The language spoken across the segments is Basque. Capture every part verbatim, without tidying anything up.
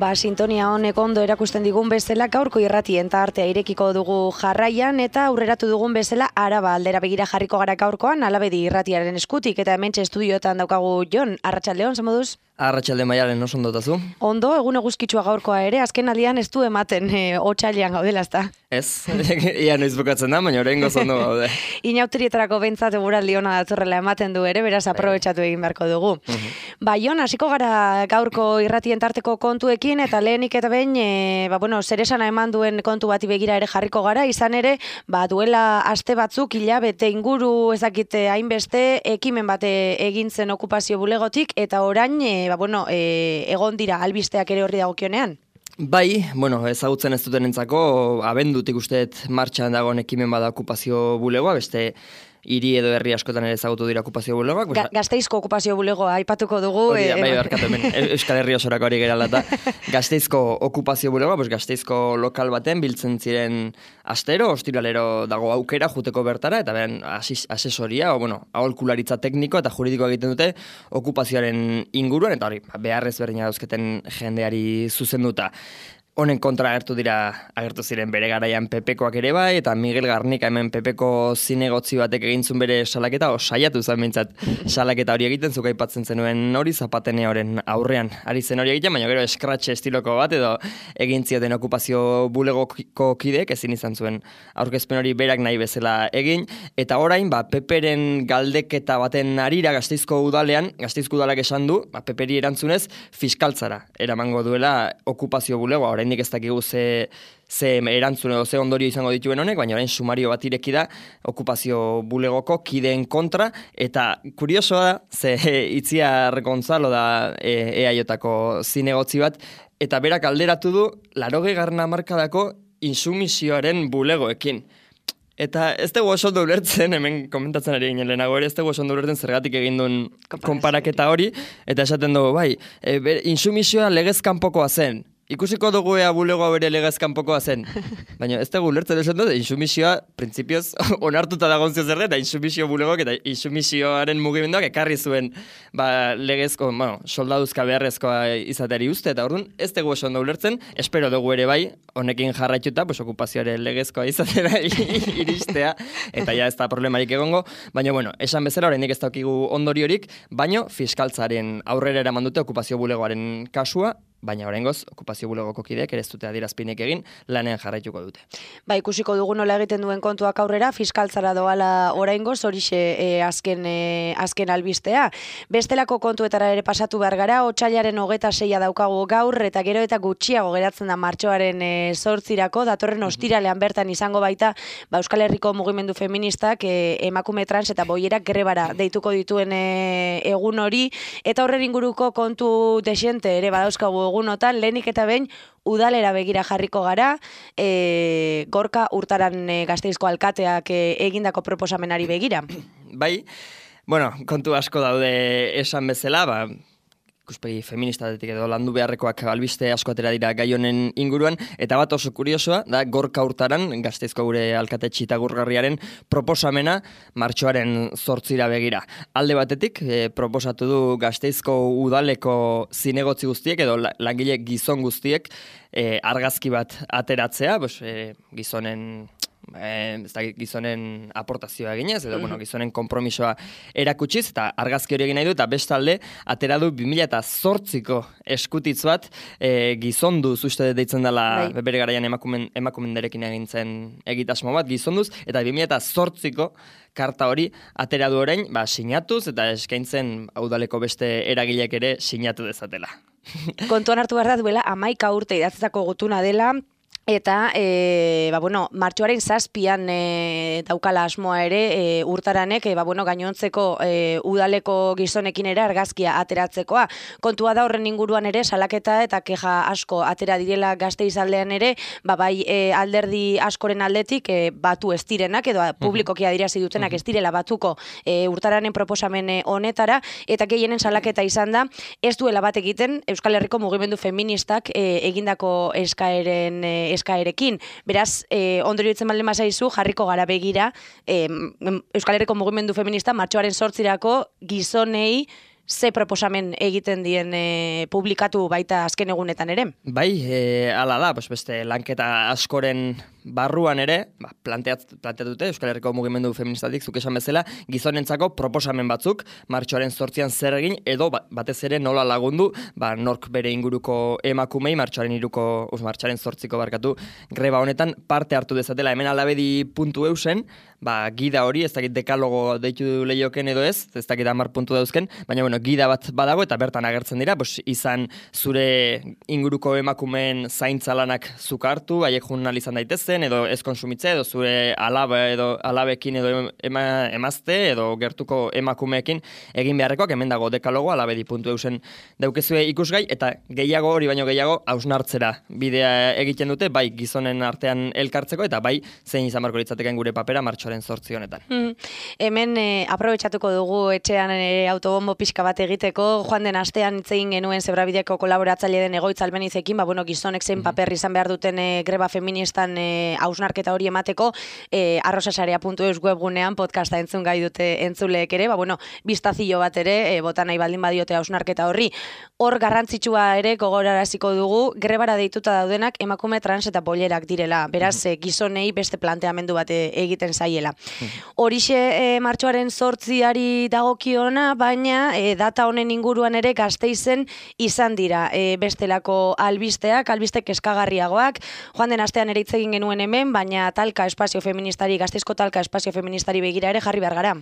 Ba, sintonia honek ondo erakusten digun bezala gaurko irratien tartea irekiko dugu jarraian eta aurreratu dugun bezala Araba aldera begira jarriko gara gaurkoan Alabedi irratiaren eskutik eta hementxe estudioetan daukagu Jon. Arratsaldeon, zer moduz? Arratsalde Maialen, oso ondo tazu? Ondo, egun eguzkitsua gaurkoa ere, azken aldian ez du ematen e, otsailean gaudela, ezta? Ez, ia noiz bukatzen da, baina oraingoz ondo gaude. Inauterietarako behintzat eguraldi ona datorrela ematen du ere, beraz aprobetxatu egin beharko dugu. Uh-huh. Ba, Jon, hasiko gara gaurko irratien tarteko kontuekin, eta lehenik eta behin, e, ba, bueno, zer esana eman duen kontu bati begira ere jarriko gara, izan ere, ba, duela aste batzuk, hilabete inguru ezakite hainbeste, ekimen bate egin zen okupazio bulegotik, eta orain, e, ba, bueno, e, egon dira albisteak ere horri dagokionean. Bai, bueno, ezagutzen ez dutenentzako, abendutik usteet martxan dagoen ekimen bada okupazio bulegoa, beste hiri edo herri askotan ere ezagutu dira okupazio bulegoak. Ga, Gasteizko okupazio bulegoa aipatuko dugu. Hori da, e, bai, barkatu hemen, Euskal Herri osorako hori gerala eta Gasteizko okupazio bulegoa, pues Gasteizko lokal baten biltzen ziren astero, ostiralero dago aukera juteko bertara, eta beren asesoria, o, bueno, aholkularitza tekniko eta juridikoa egiten dute okupazioaren inguruan, eta hori, beharrez berdina dauzketen jendeari zuzenduta. Honen kontra agertu dira, agertu ziren bere garaian Pepekoak ere bai, eta Miguel Garnika hemen Pepeko zinegotzi batek egintzun bere salaketa, o saiatu zen bintzat salaketa hori egiten, zuk aipatzen zenuen hori Zapateneoren aurrean. Ari zen hori egiten, baina gero eskratxe estiloko bat, edo egin zioten okupazio bulegoko kideek, ezin izan zuen aurkezpen hori berak nahi bezala egin, eta orain, ba, Peperen galdeketa baten arira Gasteizko udalean, Gasteizko udalak esan du, ba, Peperi erantzunez, fiskaltzara eramango duela okupazio bulegoa. Oraindik ez dakigu ze, ze erantzun edo ze ondorio izango dituen honek, baina orain sumario bat ireki da okupazio bulegoko kideen kontra, eta kuriosoa da, ze Itziar Gonzalo da E A Jko zinegotzi bat, eta berak alderatu du laurogei garren hamarkadako intsumisioaren bulegoekin. Eta ez dugu oso ondo ulertzen, hemen komentatzen ari ginen lehenago ere, ez dugu oso ondo ulertzen zergatik egin duen konparaketa hori, eta esaten dugu, bai, e, intsumisioa legez kanpokoa zen. Ikusiko dugu ea bulegoa bere legez kanpokoa zen. Baina ez dugu ulertzen esan dut, insumisioa, printzipioz, onartuta dagoen zio zer eta insumisio bulegoak eta insumisioaren mugimenduak ekarri zuen ba, legezko, bueno, soldaduzka beharrezkoa izateari uste, eta orduan ez dugu oso ondo ulertzen, espero dugu ere bai, honekin jarraituta, pues, okupazioaren legezkoa izatera iristea, eta ja ez da problemarik egongo, baina bueno, esan bezala oraindik ez daukigu ondoriorik, baino fiskaltzaren aurrera eraman dute okupazio bulegoaren kasua, baina oraingoz okupazio bulegoko kideek ere ez dute adierazpinek egin, lanean jarraituko dute. Ba, ikusiko dugu nola egiten duen kontuak aurrera, fiskaltzara doala oraingoz, horixe e, azken, e, azken albistea. Bestelako kontuetara ere pasatu behar gara, otsailaren hogeta seia daukagu gaur, eta gero eta gutxiago geratzen da martxoaren e, zortzirako, datorren ostiralean bertan izango baita, ba, Euskal Herriko mugimendu feministak e, emakume trans eta boierak grebara deituko dituen e, egun hori, eta horren inguruko kontu desiente ere badauzkagu egunotan, lehenik eta behin udalera begira jarriko gara, e, Gorka Urtaran e, Gasteizko alkateak e, egindako proposamenari begira. Bai, bueno, kontu asko daude esan bezala, ba, ikuspegi feministatetik edo landu beharrekoak albiste asko atera dira gai honen inguruan, eta bat oso kuriosoa, da Gorka Urtaran, Gasteizko gure alkate txitagurgarriaren proposamena martxoaren zortzira begira. Alde batetik, e, proposatu du Gasteizko udaleko zinegotzi guztiek, edo langile gizon guztiek, e, argazki bat ateratzea, pues, e, gizonen... Eh, ez da gizonen aportazioa eginez, edo bueno, gizonen konpromisoa erakutsiz, eta argazki hori egin nahi du, eta bestalde, atera du bi mila zortziko eskutitz bat, eh, gizonduz uste deitzen dela bai. Bere garaian emakumen, emakumenderekin egintzen egitasmo bat, gizonduz, eta bi mila zortziko karta hori atera du orain, ba, sinatuz, eta eskaintzen udaleko beste eragilek ere sinatu dezatela. Kontuan hartu behar da duela, hamaika urte idatzeko gutuna dela, eta, e, ba, bueno, martxoaren zazpian e, daukala asmoa ere e, Urtaranek, e, ba, bueno, gainontzeko e, udaleko gizonekin ere argazkia ateratzekoa. Kontua da horren inguruan ere, salaketa eta keja asko atera direla Gasteiz aldean ere, ba, bai e, alderdi askoren aldetik e, batu ez direnak, edo publikoki adirazi dutenak ez direla batuko e, Urtaranen proposamen honetara, eta gehienen salaketa izan da, ez duela bat egiten Euskal Herriko mugimendu feministak e, egindako eskaeren e, eskaerekin. Beraz, eh, ondorio ditzen baldin bazaizu, jarriko gara begira, eh, Euskal Herriko mugimendu feminista martxoaren zortzirako gizonei ze proposamen egiten dien e, publikatu baita azken egunetan ere. Bai, e, ala da, pues beste lanketa askoren barruan ere, ba, planteat, planteatute Euskal Herriko mugimendu feministatik, zuk esan bezala, gizonentzako proposamen batzuk, martxoaren zortzian zer egin, edo ba, batez ere nola lagundu, ba, nork bere inguruko emakumei, martxoaren iruko, us, martxoaren zortziko barkatu, greba honetan parte hartu dezatela, hemen alabedi puntu eusen, ba, gida hori, ez dakit dekalogo deitu lehioken edo ez, ez dakit hamar puntu dauzken, baina bueno, gida bat badago eta bertan agertzen dira, pues, izan zure inguruko emakumeen zaintza lanak zuk hartu, haiek jun izan daitezen, edo ez konsumitze, edo zure alaba edo alabekin edo ema, emazte, edo gertuko emakumeekin egin beharrekoak, hemen dago dekalogo, alabedi puntu eusen daukezue ikusgai, eta gehiago hori baino gehiago hausnartzera bidea egiten dute, bai gizonen artean elkartzeko, eta bai zein izan barko litzateken gure papera martxoaren zortzi honetan. Mm. Hemen e, aprobetxatuko dugu etxean e, autobombo pixka bat egiteko, joan den astean hitz egin genuen Zebrabideko kolaboratzaile den Egoitz Albenizekin, ba, bueno, gizonek zein mm-hmm. paper izan behar duten e, greba feministan e, hausnarketa hori emateko, e, arrosasarea puntu eus webgunean podcasta entzun gai dute entzuleek ere, ba, bueno, biztazio bat ere, e, bota nahi baldin badiote hausnarketa horri. Hor garrantzitsua ere gogoraraziko dugu, grebara deituta daudenak emakume trans eta bolerak direla, beraz mm-hmm. gizonei beste planteamendu bat egiten zaiela. Mm-hmm. Horixe e, martxoaren zortziari dagokiona, baina e, data honen inguruan ere Gasteizen izan dira e, bestelako albisteak, albiste keskagarriagoak, joan den astean ere hitz egin genuen hemen, baina talka espazio feministari, Gasteizko talka espazio feministari begira ere jarri behar gara.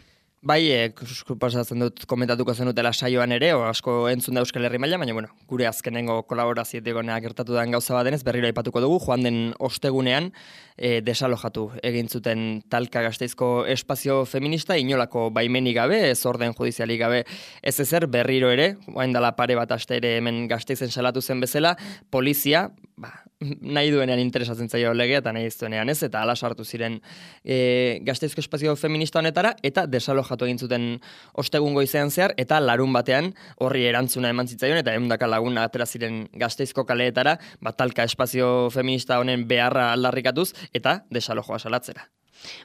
Bai, e, proposatzen dut komentatuko zenutela saioan ere, o asko entzun da Euskal Herri maila, baina bueno, gure azkenengo kolaborazioetik gertatu den gauza bat denez, berriro aipatuko dugu, joan den ostegunean e, desalojatu egin zuten talka Gasteizko espazio feminista, inolako baimenik gabe, ez orden judizialik gabe, ez ezer berriro ere, oain dela pare bat aste ere hemen Gasteizen salatu zen bezala, polizia, ba, nahi duenean interesatzen zaio legea eta nahi ez duenean ez, eta ala sartu ziren e, Gasteizko espazio feminista honetara, eta desalojatu egin zuten ostegun goizean zehar, eta larun batean horri erantzuna eman zitzaion, eta ehundaka lagun atera ziren Gasteizko kaleetara, bat talka espazio feminista honen beharra aldarrikatuz, eta desalojoa salatzera.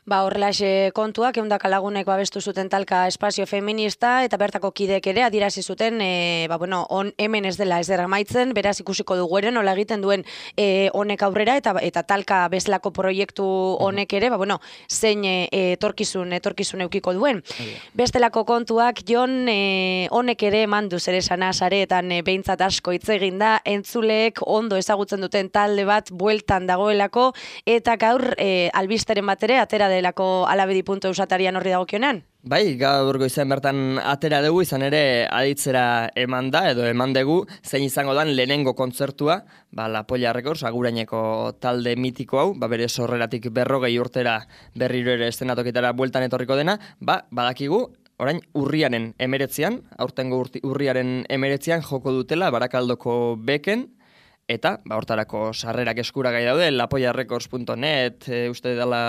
Ba, horrelaxe kontuak, ehundaka lagunek babestu zuten talka espazio feminista, eta bertako kidek ere adierazi zuten, e, ba, bueno, on, hemen ez dela ez dera maitzen, beraz ikusiko dugu ere, nola egiten duen e, honek aurrera, eta eta talka bezlako proiektu honek ere, ba, bueno, zein e, etorkizun, etorkizun eukiko duen. Bestelako kontuak, Jon, e, honek ere mandu zer esana sareetan e, behintzat asko hitz egin da, entzuleek ondo ezagutzen duten talde bat bueltan dagoelako, eta gaur e, albisteren bat ere, atera delako alabedi puntu eusatarian horri dagokionan? Bai, gaur goizean bertan atera dugu, izan ere aditzera eman da, edo eman dugu, zein izango dan lehenengo kontzertua, ba, La Polla Records, aguraineko talde mitiko hau, ba, bere sorreratik berrogei urtera berriro ere estenatoketara bueltan etorriko dena, ba, badakigu, orain urriaren emeretzian, aurtengo urriaren emeretzian joko dutela Barakaldoko beken, eta, ba, hortarako sarrerak eskuragai daude, lapollarecords puntu net, e, uste dela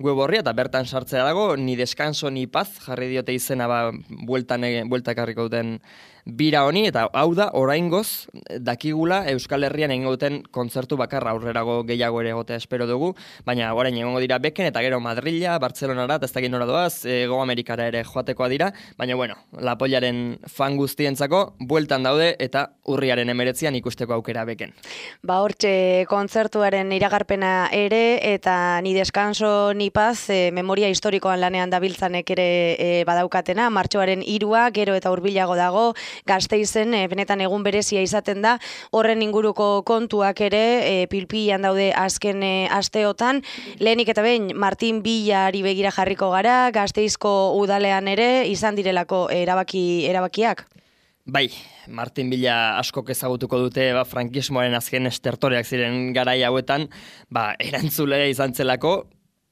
web horria, eta bertan sartzea dago, ni descanso ni paz, jarri diote izena, ba, bueltan, bueltak harriko duten bira honi, eta hau da, oraingoz, dakigula Euskal Herrian egingo duten kontzertu bakarra, aurrerago gehiago ere egotea espero dugu, baina orain egongo dira beken, eta gero Madrila, Bartzelonara, eta ez dakit nora doaz, Hego Amerikara ere joatekoa dira, baina bueno, La Pollaren fan guztientzako, bueltan daude, eta urriaren emeretzian ikusteko aukera beken. Ba, hortxe kontzertuaren iragarpena ere, eta ni descanso ni paz, e, memoria historikoan lanean dabiltzanek ere e, badaukatena, martxoaren hirua, gero eta hurbilago dago, Gasteizen e, benetan egun berezia izaten da, horren inguruko kontuak ere e, pilpilan daude azken e, asteotan, lehenik eta behin Martin Villari begira jarriko gara, Gasteizko udalean ere izan direlako erabaki erabakiak. Bai, Martin Villa askok ezagutuko dute, ba, frankismoaren azken estertoreak ziren garai hauetan, ba, erantzule izan zelako,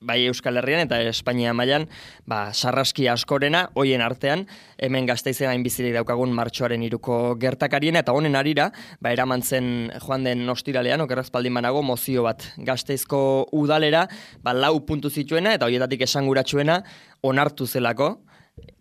bai Euskal Herrian eta Espainia mailan, ba, sarraski askorena, hoien artean, hemen Gasteizen hain bizirik daukagun martxoaren hiruko gertakariena, eta honen arira, ba, eraman zen joan den ostiralean, okerrazpaldin banago, mozio bat Gasteizko udalera, ba, lau puntu zituena, eta hoietatik esanguratsuena onartu zelako,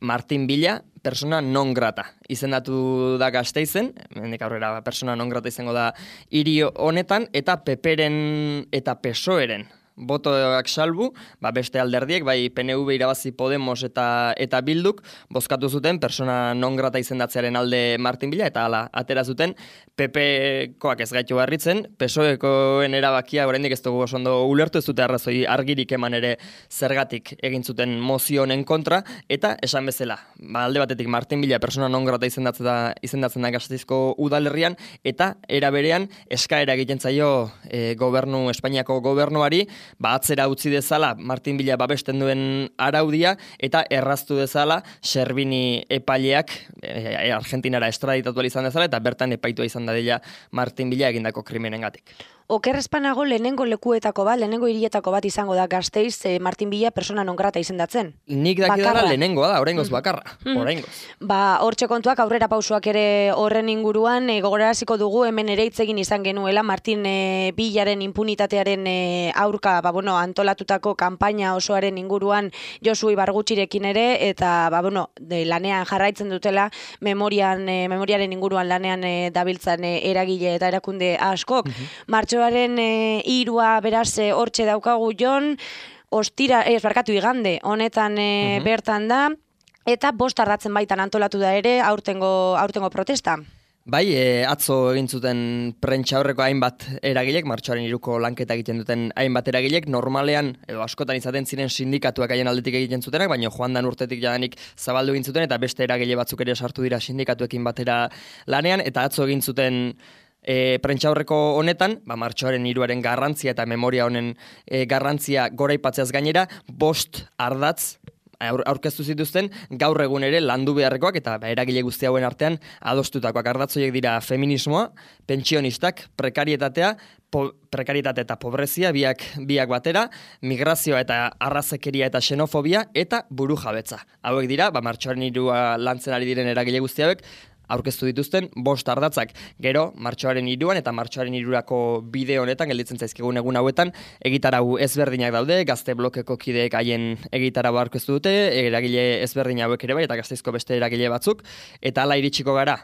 Martin Villa, persona non grata. Izendatu da Gasteizen, hemendik aurrera persona non grata izango da hiri honetan, eta Peperen eta P S O E-ren botoak salbu, ba beste alderdiek, bai P N V irabazi Podemos eta eta Bilduk, bozkatu zuten persona non grata izendatzearen alde Martin Villa, eta hala, atera zuten, P P-koak ez gaitu barritzen, P S O E-koen erabakia, oraindik ez dugu oso ondo ulertu, ez dute arrazoi argirik eman ere zergatik egin zuten mozio honen kontra, eta esan bezala, ba, alde batetik Martin Villa persona non grata izendatzen da, izendatzen da Gasteizko udalerrian, eta era berean eskaera egiten zaio e, gobernu, Espainiako gobernuari, ba, atzera utzi dezala Martin Villa babesten duen araudia, eta erraztu dezala Servini epaileak e, Argentinara estraditatu izan dezala, eta bertan epaitua izan dadila Martin Villa egindako krimenengatik. Okerrezpanago lehenengo lekuetako bat, lehenengo hirietako bat izango da Gasteiz eh, Martin Villa persona non grata izendatzen. Nik dakidala lehenengoa da, oraingoz bakarra. Mm. Oraingoz. Ba, hortxe kontuak aurrera pausoak ere horren inguruan, e, gogoraraziko dugu hemen ere hitz egin izan genuela Martin e, Villaren impunitatearen e, aurka, ba, bueno, antolatutako kanpaina osoaren inguruan Josu Ibargutxirekin ere, eta ba, bueno, de, lanean jarraitzen dutela memorian, e, memoriaren inguruan lanean e, dabiltzan e, eragile eta erakunde askok. Mm-hmm. Martxoaren e, irua beraz e, hortxe daukagu Jon, ostira, ez barkatu igande, honetan e, uh-huh. bertan da, eta bost arratzen baitan antolatu da ere aurtengo, aurtengo protesta. Bai, e, atzo egin zuten prentsa horreko hainbat eragilek, martxoaren iruko lanketa egiten duten hainbat eragilek, normalean, edo askotan izaten ziren sindikatuak haien aldetik egiten zutenak, baina joan dan urtetik jadanik zabaldu egin zuten, eta beste eragile batzuk ere sartu dira sindikatuekin batera lanean, eta atzo egin zuten E, prentxaurreko honetan, ba, martxoaren hiruaren garrantzia eta memoria honen e, garrantzia goraipatzeaz gainera, bost ardatz aur, aurkeztu zituzten, gaur egun ere landu beharrekoak eta ba, eragile guzti hauen artean adostutakoak. Ardatzoiek dira feminismoa, pentsionistak, prekarietatea, po, prekarietate eta pobrezia, biak, biak batera, migrazioa eta arrazekeria eta xenofobia eta burujabetza. Hauek dira, ba, martxoaren hirua lantzen ari diren eragile guzti hauek, aurkeztu dituzten bost ardatzak. Gero, martxoaren hiruan eta martxoaren hirurako bide honetan, gelditzen zaizkigun egun hauetan, egitarau ezberdinak daude, gazte blokeko kideek haien egitarau aurkeztu dute, eragile ezberdin hauek ere bai, eta Gasteizko beste eragile batzuk, eta hala iritsiko gara,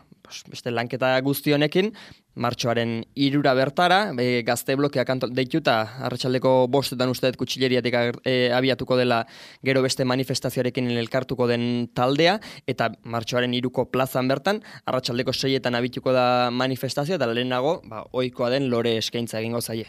beste lanketa guzti honekin, martxoaren hirura bertara, e, gazte blokeak deituta, arratsaldeko bostetan usteet kutxileriatik e, abiatuko dela gero beste manifestazioarekin elkartuko den taldea, eta martxoaren hiruko plazan bertan, arratsaldeko seietan abituko da manifestazioa, eta lehenago, ba, ohikoa den lore eskaintza egingo zaie.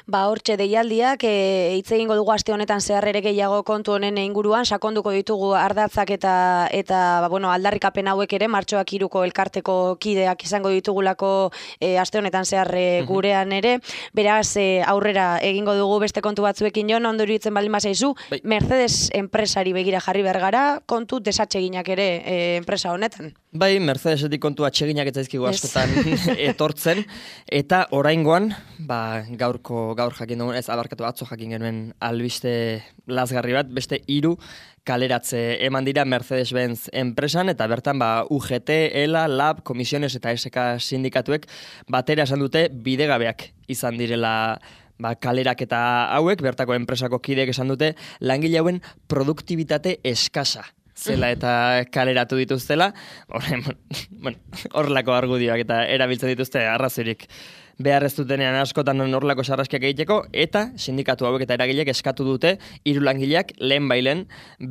Ba, hortxe deialdiak, e, hitz egingo dugu aste honetan zehar ere gehiago kontu honen inguruan, sakonduko ditugu ardatzak eta, eta ba, bueno, aldarrikapen hauek ere, martxoak hiruko elkarteko kideak izango ditugulako e, aste honetan zehar e, gurean ere, beraz e, aurrera egingo dugu beste kontu batzuekin Jon, ondo iruditzen baldin bazaizu, bai. Mercedes enpresari begira jarri behar gara, kontu desatseginak ere e, enpresa honetan. Bai, Mercedesetik kontu atseginak ez zaizkigu askotan etortzen, eta oraingoan, ba, gaurko gaur jakin dugun, ez abarkatu atzo jakin genuen albiste lazgarri bat, beste hiru kaleratze eman dira Mercedes-Benz enpresan, eta bertan ba, U G T, ELA, LAB, Komisiones eta S K sindikatuek batera esan dute bidegabeak izan direla ba, kalerak eta hauek, bertako enpresako kideek esan dute langile hauen produktibitate eskasa zela eta kaleratu dituztela, horrelako bueno, argudioak eta erabiltzen dituzte arrazoirik behar ez dutenean askotan horrelako sarraskiak egiteko, eta sindikatu hauek eta eragilek eskatu dute hiru langileak lehen bailen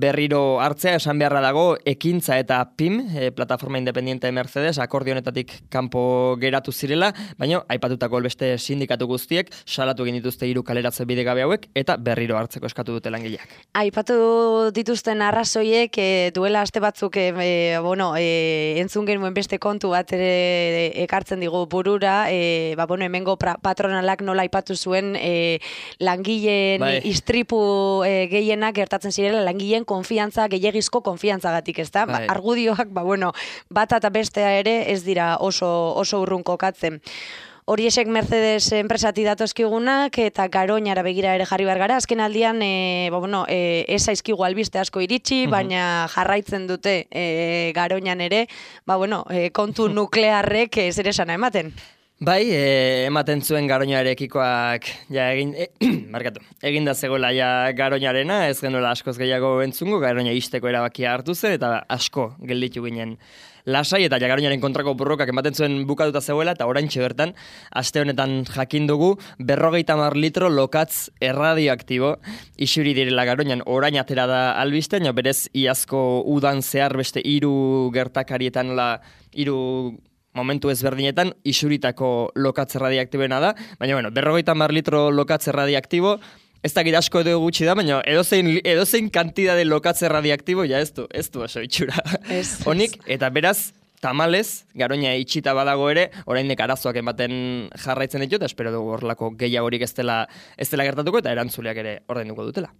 berriro hartzea, esan beharra dago ekintza eta P I M, e, plataforma independiente Mercedes, akordio honetatik kanpo geratu zirela, baina aipatutako beste sindikatu guztiek salatu egin dituzte hiru kaleratze bidegabe hauek eta berriro hartzeko eskatu dute langileak. Aipatu dituzten arrazoiek e, duela aste batzuk e, e, bueno, e, entzun genuen beste kontu bat ere ekartzen digu burura, e, ba, bueno, hemengo patronalak nola aipatu zuen e, langileen bai. Istripu e, gehienak gertatzen zirela langileen konfiantza, gehiagizko konfiantzagatik, ezta? Bai. Ba, argudioak, ba, bueno, bata eta bestea ere ez dira oso, oso urrun kokatzen. Horiesek Mercedes enpresati datozkigunak eta Garoñara begira ere jarri behar gara. Azken aldian, e, ba, bueno, e, ez zaizkigu albiste asko iritsi, uh-huh. baina jarraitzen dute e, Garoñan ere, ba, bueno, e, kontu nuklearrek zer esana ematen. Bai, e, ematen zuen Garoñarekikoak ja egin e, markatu. Eginda zegoela ja Garoñarena, ez genuela askoz gehiago entzungo, Garoña isteko erabakia hartu zen eta asko gelditu ginen lasai eta ja Garoñaren kontrako borrokak ematen zuen bukatuta zegoela eta oraintxe bertan aste honetan jakin dugu berrogeita hamar litro lokatz erradioaktibo isuri direla Garoñan. Orain atera da albiste, baina berez iazko udan zehar beste hiru gertakarietan la hiru momentu ezberdinetan isuritako lokatz erradiaktiboena da, baina bueno, berrogeita hamar litro lokatz erradiaktibo, ez dakit asko edo gutxi da, baina edozein, edozein kantidade lokatz erradiaktibo, ja ez du, ez du oso itxura. Honik, eta beraz, tamalez, Garoña itxita badago ere, oraindik arazoak ematen jarraitzen ditu, eta espero dugu horrelako gehiagorik ez dela, ez dela gertatuko, eta erantzuleak ere ordainduko dutela.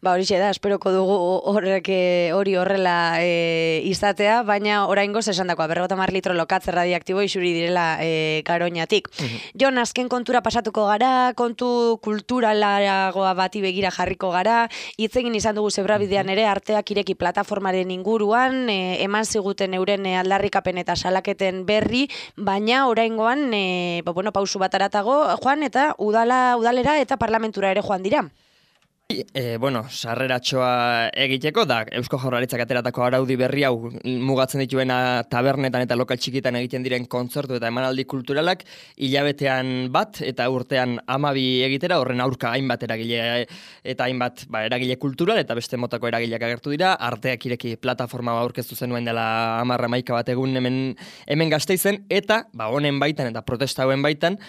Ba horixe da, esperoko dugu horrek hori horrela e, izatea, baina oraingoz esan dakoa, berrogeita hamar litro lokatz erradiaktibo isuri direla e, Garoñatik. Uh-huh. Jon, azken kontura pasatuko gara, kontu kulturalagoa bati begira jarriko gara, hitz egin izan dugu Zebrabidean ere, arteak ireki plataformaren inguruan, e, eman ziguten euren aldarrikapen eta salaketen berri, baina oraingoan e, ba, bueno, pausu bat aratago joan eta udala, udalera eta parlamentura ere joan dira. E, bueno, sarreratxoa egiteko, da Eusko Jaurlaritzak ateratako araudi berri hau mugatzen dituena tabernetan eta lokal txikitan egiten diren kontzertu eta emanaldi kulturalak hilabetean bat eta urtean hamabi egitera, horren aurka hainbat eragile eta hainbat ba, eragile kultural eta beste motako eragileak agertu dira, arteak ireki plataforma aurkeztu zenuen dela hamar hamaika bat egun hemen, hemen Gasteizen, eta ba, honen baitan eta protesta hauen baitan,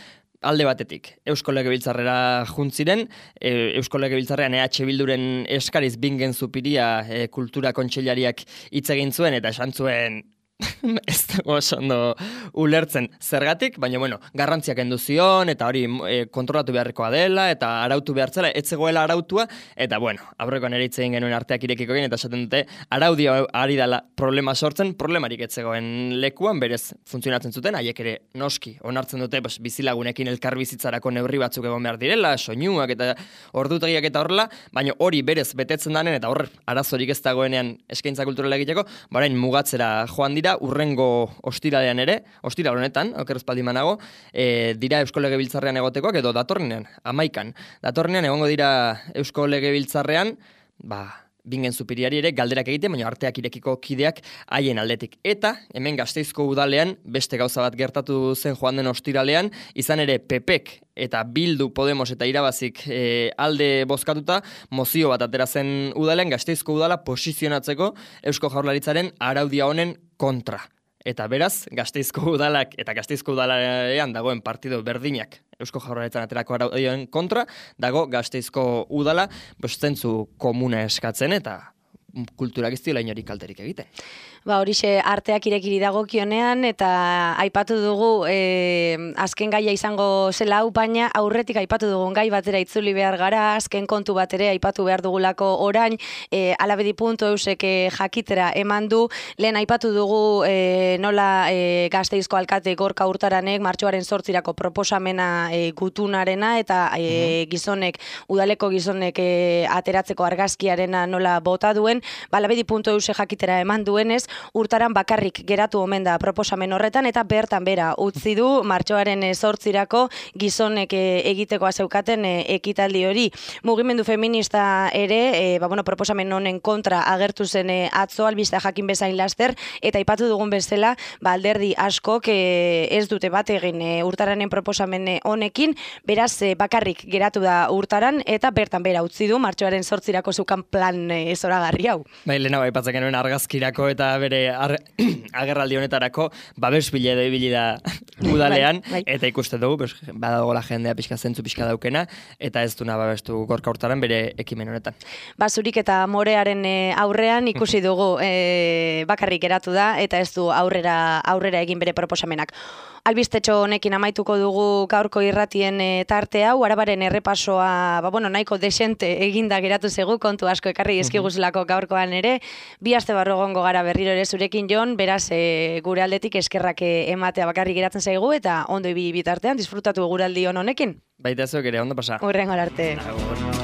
alde batetik, Eusko Legebiltzarrera juntziren, e, Eusko Legebiltzarrean E H Bilduren eskariz Bingen Zupiria e, kultura kontseilariak hitz egin zuen eta esan zuen ez dago oso ondo ulertzen zergatik, baina bueno, garrantziak kendu zion eta hori e, kontrolatu beharrekoa dela eta arautu behartzela, ez zegoela arautua eta bueno, aurrekoan ere hitz egin genuen arteak irekiko egin eta esaten dute araudia ari dela problema sortzen, problemarik ez zegoen lekuan, berez funtzionatzen zuten, haiek ere noski onartzen dute pues, bizilagunekin elkarbizitzarako neurri batzuk egon behar direla, soinuak eta ordutegiak eta horrela, baina hori berez betetzen danen eta hor arazorik ez dagoenean eskaintza kulturala egiteko, barain mugatzera joan dira urrengo ostiralean ere, ostiral honetan, oker espaldi manago, e, dira Eusko Legebiltzarrean egotekoak edo datorrenean, amaikan. Datorrenean egongo dira Eusko Legebiltzarrean, ba, Bingen Zupiriari ere galderak egiten, baina arteak irekiko kideak haien aldetik. Eta, hemen Gasteizko udalean, beste gauza bat gertatu zen joan den ostiralean, izan ere P Pek eta Bildu, Podemos eta Irabazik e, alde bozkatuta, mozio bat atera zen udalean, Gasteizko udala posizionatzeko Eusko Jaurlaritzaren araudia honen kontra. Eta beraz, Gasteizko udalak eta Gasteizko udalean dagoen partido berdinak Eusko Jaurlaritzan aterako araudioen kontra, dago Gasteizko udala, bostentzu komuna eskatzen eta kulturak ez diola inorik kalterik egiten. Ba, horixe arteak irekiri dagokionean eta aipatu dugu e, azken gaia izango zela hau, baina aurretik aipatu dugun gai batera itzuli behar gara, azken kontu bat ere aipatu behar dugulako orain, e, alabedi puntu eusek jakitera eman du, lehen aipatu dugu e, nola e, Gasteizko alkate Gorka Hurtaranek martxoaren zortzirako proposamena e, gutunarena eta e, gizonek, udaleko gizonek e, ateratzeko argazkiarena nola bota duen, ba, alabedi puntu eusek jakitera eman duenez, Hurtaran bakarrik geratu omen da proposamen horretan eta bertan bera utzi du martxoaren zortzirako gizonek egitekoa zeukaten ekitaldi hori. Mugimendu feminista ere, e, ba, bueno, proposamen honen kontra agertu zen e, atzo albiste jakin bezain laster eta aipatu dugun bezala, ba, alderdi askok e, ez dute bat egin e, Hurtaranen proposamen honekin, beraz e, bakarrik geratu da Hurtaran eta bertan bera utzi du martxoaren zortzirako zeukan plan e, zoragarri hau. Bai, lehena bai patzaken genuen argazkirako eta bere agerraldi honetarako babes bila edo ibili da udalean, bai, bai. Eta ikuste dugu, pues, badagoela jendea pixka zentzu pixka daukena, eta ez duna babestu Gorka Hurtaran bere ekimen honetan. Basurik eta morearen aurrean ikusi dugu e, bakarrik geratu da, eta ez du aurrera, aurrera egin bere proposamenak. Albistetxo honekin amaituko dugu gaurko irratien e, tarte hau, arabaren errepasoa, ba, bueno, nahiko desente eginda geratu zegu, kontu asko ekarri eskiguzulako gaurkoan ere, bi aste barru egongo gara berriro ere zurekin, Jon, beraz e, gure aldetik eskerrak ematea bakarrik geratzen zaigu, eta ondo ibili bitartean disfrutatu guraldi hon honekin. Baita zuek ere, ondo pasa. Hurrengo arte. Agur.